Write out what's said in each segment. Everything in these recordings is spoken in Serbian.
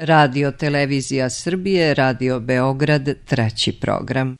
Radio Televizija Srbije, Radio Beograd, 3. program.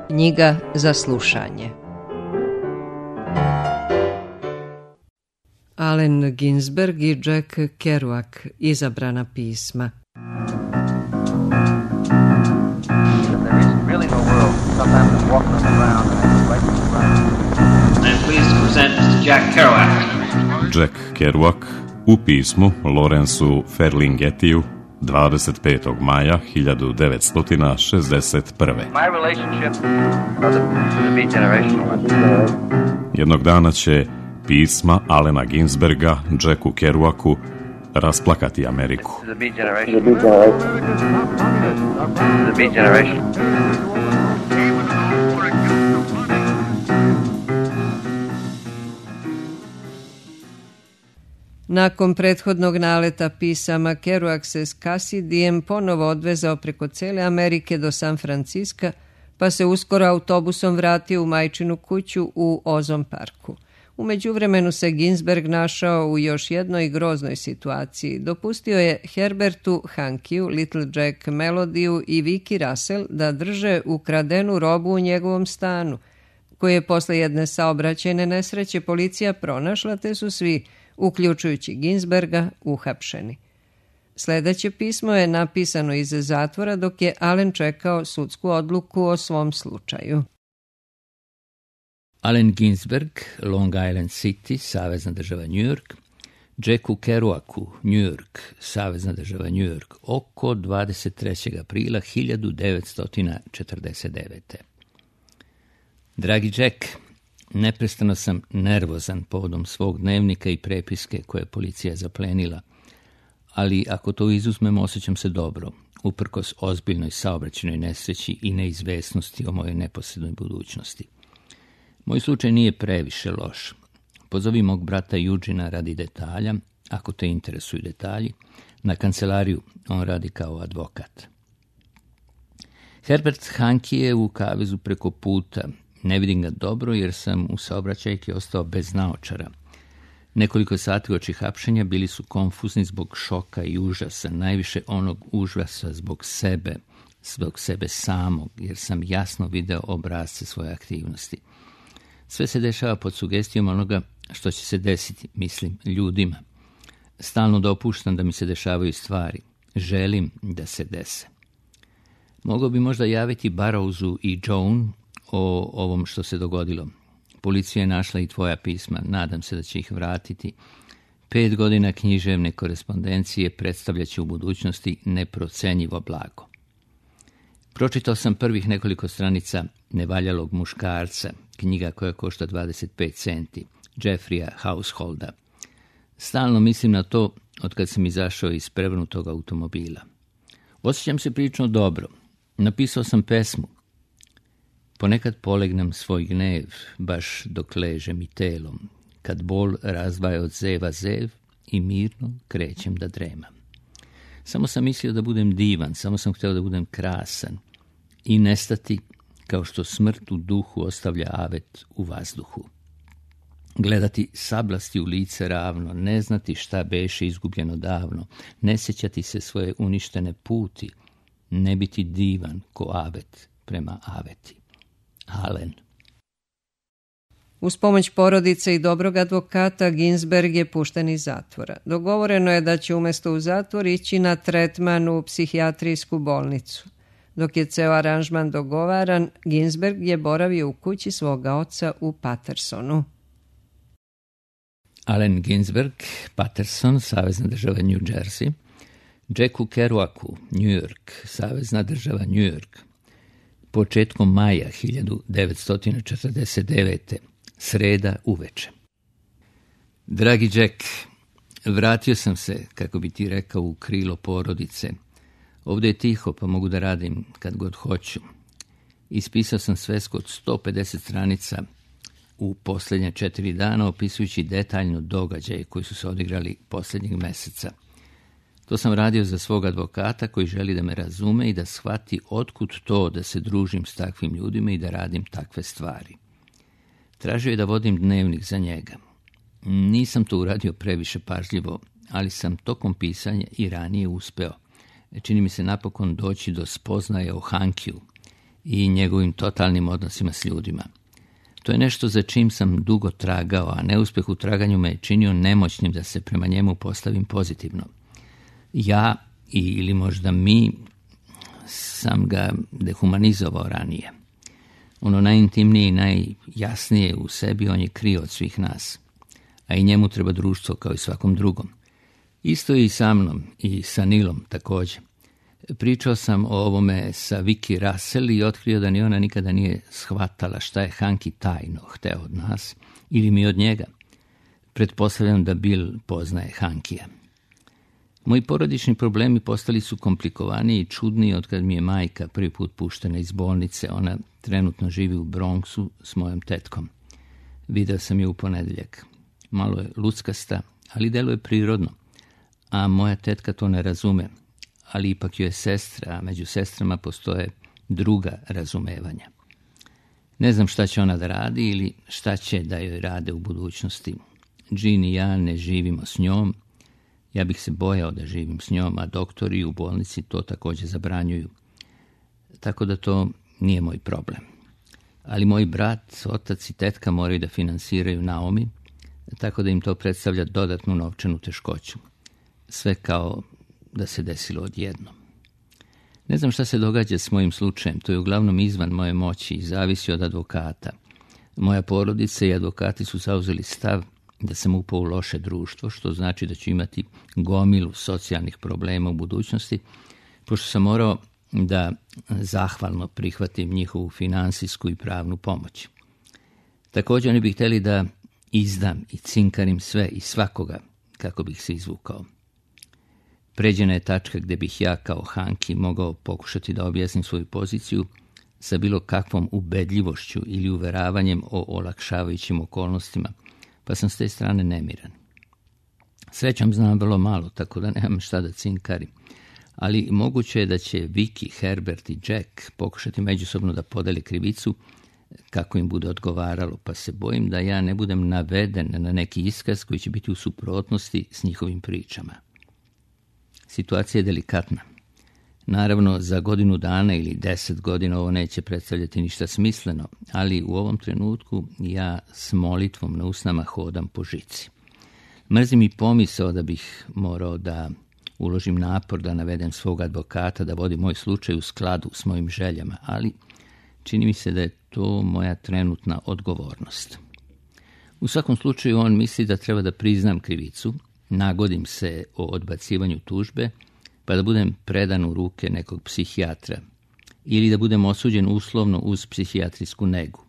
Knjiga za slušanje. Allen Ginsberg i Jack Kerouac, izabrana pisma. Jack Kerouac u pismu Lawrenceu Ferlinghettiju 25. maja 1961. Jednog dana će pisma Allena Ginsberga Jacku Kerouacu rasplakati Ameriku. Nakon prethodnog naleta pisama, Kerouac se s Cassidyjem ponovo odvezao preko cele Amerike do San Franciska, pa se uskoro autobusom vratio u majčinu kuću u Ozon parku. U međuvremenu se Ginsberg našao u još jednoj groznoj situaciji. Dopustio je Herbertu Hankiju, Little Jack Melodiju i Vicky Russell da drže ukradenu robu u njegovom stanu, koju je posle jedne saobraćajne nesreće policija pronašla, te su svi, uključujući Ginsberga, uhapšeni. Sljedeće pismo je napisano iz zatvora dok je Allen čekao sudsku odluku o svom slučaju. Allen Ginsberg, Long Island City, Savezna država New York, Jacku Kerouacu, New York, Savezna država New York, oko 23. aprila 1949. Dragi Jack, neprestano sam nervozan povodom svog dnevnika i prepiske koje je policija zaplenila, ali ako to izuzmemo, osjećam se dobro, uprkos ozbiljnoj saobraćajnoj nesreći i neizvesnosti o mojoj neposrednoj budućnosti. Moj slučaj nije previše loš. Pozovi mog brata Eugena radi detalja, ako te interesuju detalji, na kancelariju, on radi kao advokat. Herbert Hanke je u kavezu preko puta. Ne vidim ga dobro jer sam u saobraćajki ostao bez naočara. Nekoliko sati uoči hapšenja bili su konfuzni zbog šoka i užasa, najviše onog užasa zbog sebe samog, jer sam jasno video obrazce svoje aktivnosti. Sve se dešava pod sugestijom onoga što će se desiti, mislim, ljudima. Stalno dopuštam da mi se dešavaju stvari. Želim da se dese. Mogao bi možda javiti Barrowsu i Joan o ovom što se dogodilo. Policija je našla i tvoja pisma, nadam se da će ih vratiti. 5 godina književne korespondencije predstavljaće u budućnosti neprocenjivo blago. Pročitao sam prvih nekoliko stranica Nevaljalog muškarca, knjiga koja košta 25 centi, Jeffreya Householda. Stalno mislim na to od kad sam izašao iz prevrnutog automobila. Osjećam se prilično dobro. Napisao sam pesmu. Ponekad polegnem svoj gnev, baš dok ležem i telom, kad bol razdvaja od zeva zev i mirno krećem da dremam. Samo sam mislio da budem divan, samo sam htio da budem krasan i nestati kao što smrt u duhu ostavlja avet u vazduhu. Gledati sablasti u lice ravno, ne znati šta beše izgubljeno davno, ne sjećati se svoje uništene puti, ne biti divan ko avet prema aveti. Allen. Uz pomoć porodice i dobrog advokata Ginsberg je pušten iz zatvora. Dogovoreno je da će umjesto u zatvor ići na tretman u psihijatrijsku bolnicu. Dok je ceo aranžman dogovaran, Ginsberg je boravio u kući svoga oca u Patersonu. Allen Ginsberg, Paterson, Savezna država New Jersey, Jacku Kerouacu, New York, Savezna država New York, početkom maja 1949. Sreda uveče. Dragi Jack, vratio sam se, kako bi ti rekao, u krilo porodice. Ovdje je tiho, pa mogu da radim kad god hoću. Ispisao sam svesku od 150 stranica u posljednje 4 dana, opisujući detaljno događaje koji su se odigrali posljednjeg meseca. To sam radio za svog advokata koji želi da me razume i da shvati otkud to da se družim s takvim ljudima i da radim takve stvari. Tražio je da vodim dnevnik za njega. Nisam to uradio previše pažljivo, ali sam tokom pisanja i ranije uspeo. Čini mi se napokon doći do spoznaje o Hankiju i njegovim totalnim odnosima s ljudima. To je nešto za čim sam dugo tragao, a neuspeh u traganju me je činio nemoćnim da se prema njemu postavim pozitivno. Ja, ili možda mi, sam ga dehumanizovao ranije. Ono najintimnije i najjasnije u sebi on je krio od svih nas, a i njemu treba društvo kao i svakom drugom. Isto i sa mnom i sa Nilom također. Pričao sam o ovome sa Vicky Russell i otkrio da ni ona nikada nije shvatala šta je Hanki tajno hteo od nas ili mi od njega. Pretpostavljam da Bill poznaje Hankija. Moji porodični problemi postali su komplikovaniji i čudniji od kad mi je majka prvi put puštena iz bolnice. Ona trenutno živi u Bronxu s mojom tetkom. Video sam je u ponedjeljak. Malo je luckasta, ali deluje prirodno. A moja tetka to ne razume, ali ipak joj je sestra, a među sestrama postoje druga razumevanja. Ne znam šta će ona da radi ili šta će da joj rade u budućnosti. Jean i ja ne živimo s njom. Ja bih se bojao da živim s njom, a doktori u bolnici to također zabranjuju. Tako da to nije moj problem. Ali moj brat, otac i tetka moraju da finansiraju Naomi, tako da im to predstavlja dodatnu novčanu teškoću. Sve kao da se desilo odjednom. Ne znam šta se događa s mojim slučajem, to je uglavnom izvan moje moći i zavisi od advokata. Moja porodica i advokati su zauzeli stav da sam upao u loše društvo, što znači da ću imati gomilu socijalnih problema u budućnosti, pošto sam morao da zahvalno prihvatim njihovu finansijsku i pravnu pomoć. Također oni bi htjeli da izdam i cinkarim sve i svakoga kako bih se izvukao. Pređena je tačka gdje bih ja kao Hanki mogao pokušati da objasnim svoju poziciju sa bilo kakvom ubedljivošću ili uveravanjem o olakšavajućim okolnostima, pa sam s te strane nemiran. Srećom znam vrlo malo, tako da nemam šta da cinkarim, ali moguće je da će Vicky, Herbert i Jack pokušati međusobno da podele krivicu kako im bude odgovaralo, pa se bojim da ja ne budem naveden na neki iskaz koji će biti u suprotnosti s njihovim pričama. Situacija je delikatna. Naravno, za godinu dana ili 10 godina ovo neće predstavljati ništa smisleno, ali u ovom trenutku ja s molitvom na usnama hodam po žici. Mrzim i pomisao da bih morao da uložim napor da navedem svog advokata, da vodi moj slučaj u skladu s mojim željama, ali čini mi se da je to moja trenutna odgovornost. U svakom slučaju on misli da treba da priznam krivicu, nagodim se o odbacivanju tužbe, pa da budem predan u ruke nekog psihijatra ili da budem osuđen uslovno uz psihijatrijsku negu.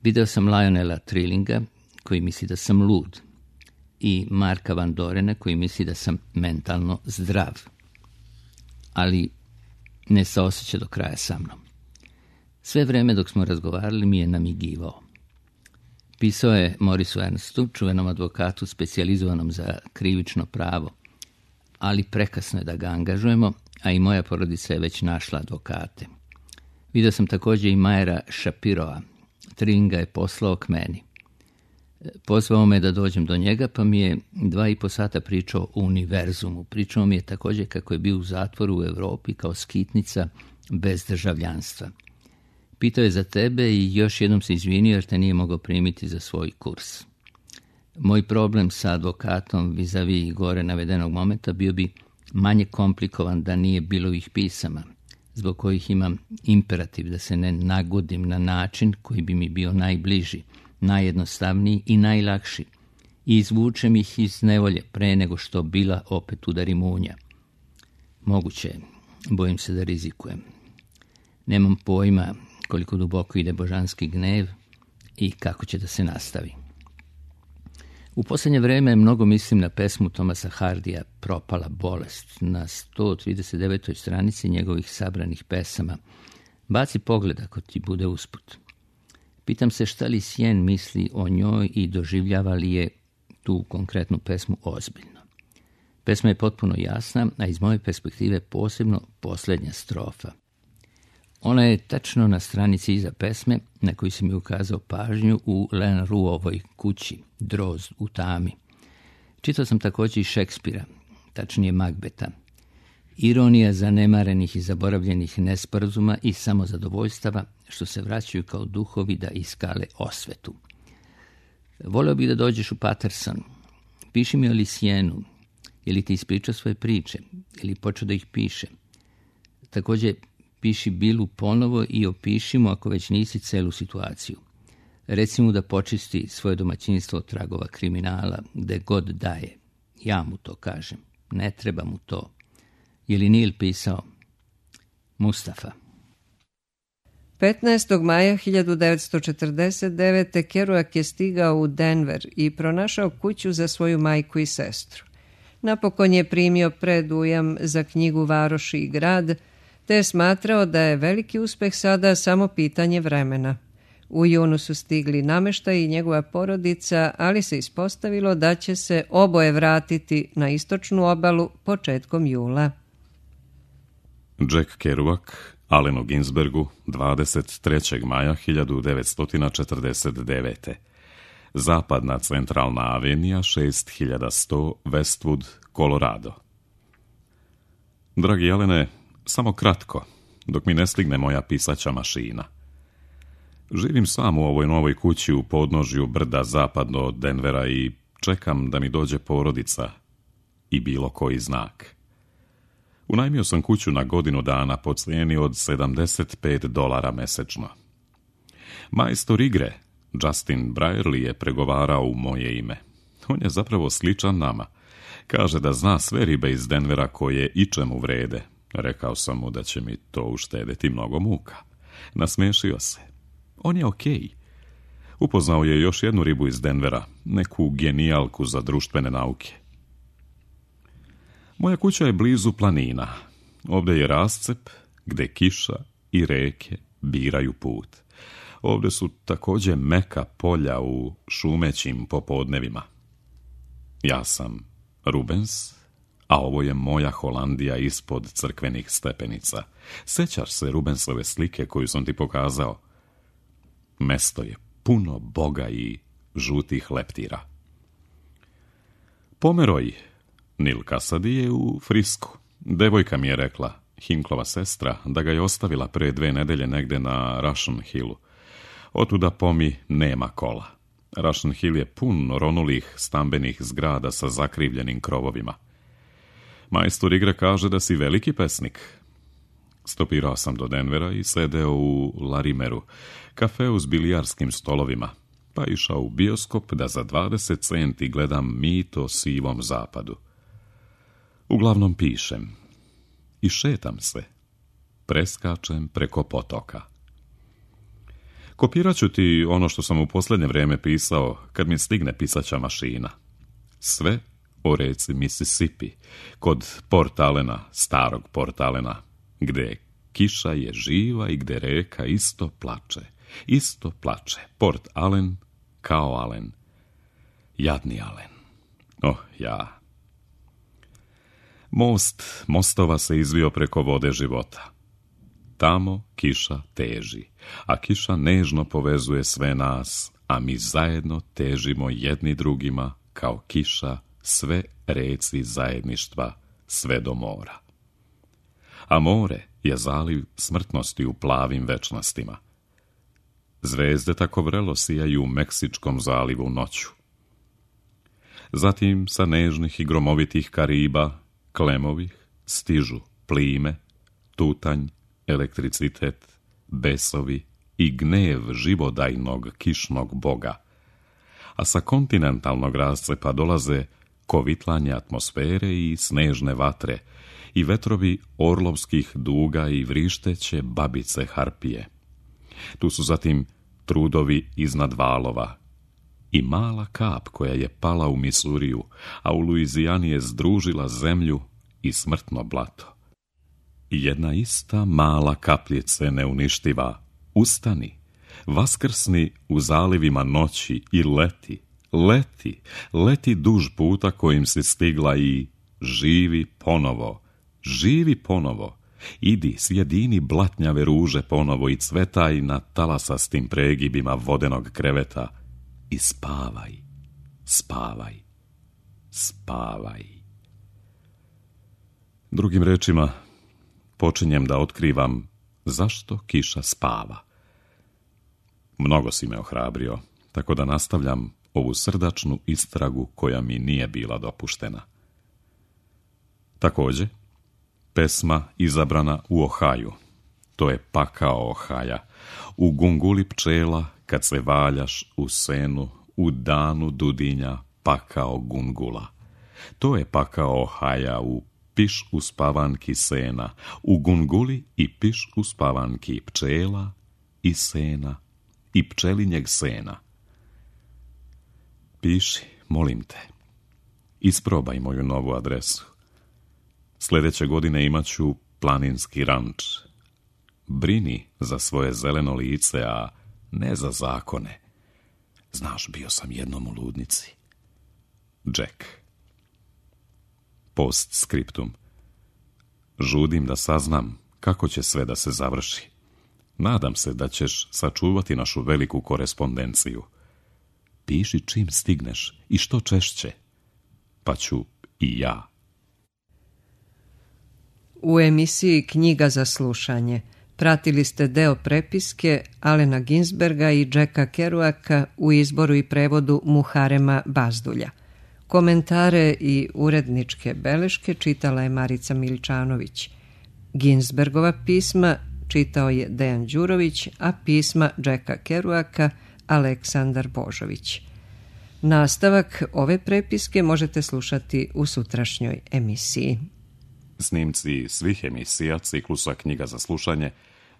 Video sam Lionela Trillinga koji misli da sam lud i Marka Van Dorena koji misli da sam mentalno zdrav, ali ne saoseća do kraja sa mnom. Sve vreme dok smo razgovarali mi je namigivao. Pisao je Morisu Ernstu, čuvenom advokatu specijalizovanom za krivično pravo, ali prekasno je da ga angažujemo, a i moja porodica je već našla advokate. Vidio sam također i Majera Shapiroa. Trillinga je poslao k meni. Pozvao me da dođem do njega, pa mi je 2,5 sata pričao o univerzumu. Pričao mi je također kako je bio u zatvoru u Europi kao skitnica bez državljanstva. Pitao je za tebe i još jednom se izvinio jer te nije mogao primiti za svoj kurs. Moj problem sa advokatom vis-a-vis gore navedenog momenta bio bi manje komplikovan da nije bilo ih pisama, zbog kojih imam imperativ da se ne nagodim na način koji bi mi bio najbliži, najjednostavniji i najlakši i izvučem ih iz nevolje pre nego što bila opet udari munja. Moguće je, bojim se da rizikujem. Nemam pojma koliko duboko ide božanski gnev i kako će da se nastavi. U posljednje vrijeme mnogo mislim na pesmu Thomasa Hardija Propala bolest na 139. stranici njegovih sabranih pesama. Baci pogled ako ti bude usput. Pitam se šta li Sjen misli o njoj i doživljava li je tu konkretnu pesmu ozbiljno. Pesma je potpuno jasna, a iz moje perspektive posebno posljednja strofa. Ona je tačno na stranici iza pesme na koju sam mi ukazao pažnju u Lenruovoj kući, Drozd u tami. Čitao sam također i Šekspira, tačnije Magbeta. Ironija zanemarenih i zaboravljenih nesporazuma i samozadovoljstava što se vraćaju kao duhovi da iskale osvetu. Volio bih da dođeš u Paterson. Piši mi o Lisijenu. Je li ti ispričao svoje priče? Je li počeo da ih piše? Također, piši Bilu ponovo i opiši mu, ako već nisi, celu situaciju. Reci mu da počisti svoje domaćinstvo od tragova kriminala, gde god daje. Ja mu to kažem. Ne treba mu to. Je li Neil pisao? Mustafa. 15. maja 1949. Kerouac je stigao u Denver i pronašao kuću za svoju majku i sestru. Napokon je primio predujam za knjigu Varoši i grad, te je smatrao da je veliki uspeh sada samo pitanje vremena. U junu su stigli nameštaj i njegova porodica, ali se ispostavilo da će se oboje vratiti na istočnu obalu početkom jula. Jack Kerouac, Allenu Ginsbergu, 23. maja 1949. Zapadna centralna avenija, 6100 Westwood, Colorado. Dragi Alene, samo kratko, dok mi ne stigne moja pisaća mašina. Živim sam u ovoj novoj kući u podnožju brda zapadno od Denvera i čekam da mi dođe porodica i bilo koji znak. Unajmio sam kuću na godinu dana po cijeni od $75 mesečno. Majstor igre, Justin Brierly, je pregovarao u moje ime. On je zapravo sličan nama. Kaže da zna sve ribe iz Denvera koje ičemu vrede. Rekao sam mu da će mi to uštedeti mnogo muka. Nasmešio se. On je okej. Upoznao je još jednu ribu iz Denvera, neku genijalku za društvene nauke. Moja kuća je blizu planina. Ovdje je rascep gde kiša i reke biraju put. Ovdje su također meka polja u šumećim popodnevima. Ja sam Rubens, a ovo je moja Holandija ispod crkvenih stepenica. Sećaš se Rubensove slike koju sam ti pokazao? Mesto je puno boga i žutih leptira. Pomeroj, Neil Cassady, je u Frisku. Devojka mi je rekla, Hinklova sestra, da ga je ostavila pre 2 nedelje negde na Russian Hillu. Otuda pomi nema kola. Russian Hill je pun ronulih stambenih zgrada sa zakrivljenim krovovima. Majstor igre kaže da si veliki pesnik. Stopirao sam do Denvera i sedeo u Larimeru, kafeu s bilijarskim stolovima, pa išao u bioskop da za 20 centi gledam Mit o sivom zapadu. Uglavnom pišem i šetam se, preskačem preko potoka. Kopirat ću ti ono što sam u posljednje vrijeme pisao kad mi stigne pisaća mašina. Sve o reci Mississippi, kod Port Allena, starog Port Allena, gde kiša je živa i gde reka isto plače. Isto plače. Port Allen kao Allen. Jadni Allen. Oh, ja. Most mostova se izvio preko vode života. Tamo kiša teži, a kiša nežno povezuje sve nas, a mi zajedno težimo jedni drugima kao kiša sve reci zajedništva sve do mora. A more je zaliv smrtnosti u plavim večnostima. Zvezde tako vrelo sijaju u Meksičkom zalivu noću. Zatim sa nežnih i gromovitih Kariba, klemovih, stižu plime, tutanj, elektricitet, besovi i gnev živodajnog kišnog boga. A sa kontinentalnog rascepa dolaze kovitlanje atmosfere i snežne vatre i vetrovi orlovskih duga i vrišteće babice harpije. Tu su zatim trudovi iznad valova i mala kap koja je pala u Misuriju, a u Luizijani je združila zemlju i smrtno blato. I jedna ista mala kapljice neuništiva, ustani, vaskrsni u zalivima noći i leti, leti duž puta kojim si stigla i živi ponovo, živi ponovo. Idi, sjedini blatnjave ruže ponovo i cvetaj na talasastim pregibima vodenog kreveta i spavaj, spavaj, spavaj. Drugim rečima, počinjem da otkrivam zašto kiša spava. Mnogo si me ohrabrio, tako da nastavljam ovu srdačnu istragu koja mi nije bila dopuštena. Također, pesma izabrana u Ohaju. To je pakao Ohaja. U gunguli pčela, kad se valjaš u senu, u danu dudinja, pakao gungula. To je pakao Ohaja u piš uspavanki sena, u gunguli i piš uspavanki pčela i sena i pčelinjeg sena. Piši, molim te, isprobaj moju novu adresu. Sljedeće godine imat ću planinski ranč. Brini za svoje zeleno lice, a ne za zakone. Znaš, bio sam jednom u ludnici. Jack. Postscriptum. Žudim da saznam kako će sve da se završi. Nadam se da ćeš sačuvati našu veliku korespondenciju. Piši čim stigneš i što češće, pa ću i ja. U emisiji Knjiga za slušanje pratili ste deo prepiske Alena Ginsberga i Jacka Kerouaka u izboru i prevodu Muharema Bazdulja. Komentare i uredničke beleške čitala je Marica Miličanović. Ginsbergova pisma čitao je Dejan Đurović, a pisma Jacka Kerouaka Aleksandar Božović. Nastavak ove prepiske možete slušati u sutrašnjoj emisiji. Snimci svih emisija ciklusa Knjiga za slušanje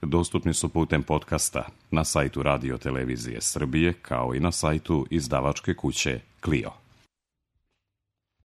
dostupni su putem podcasta na sajtu Radio Televizije Srbije, kao i na sajtu izdavačke kuće Clio.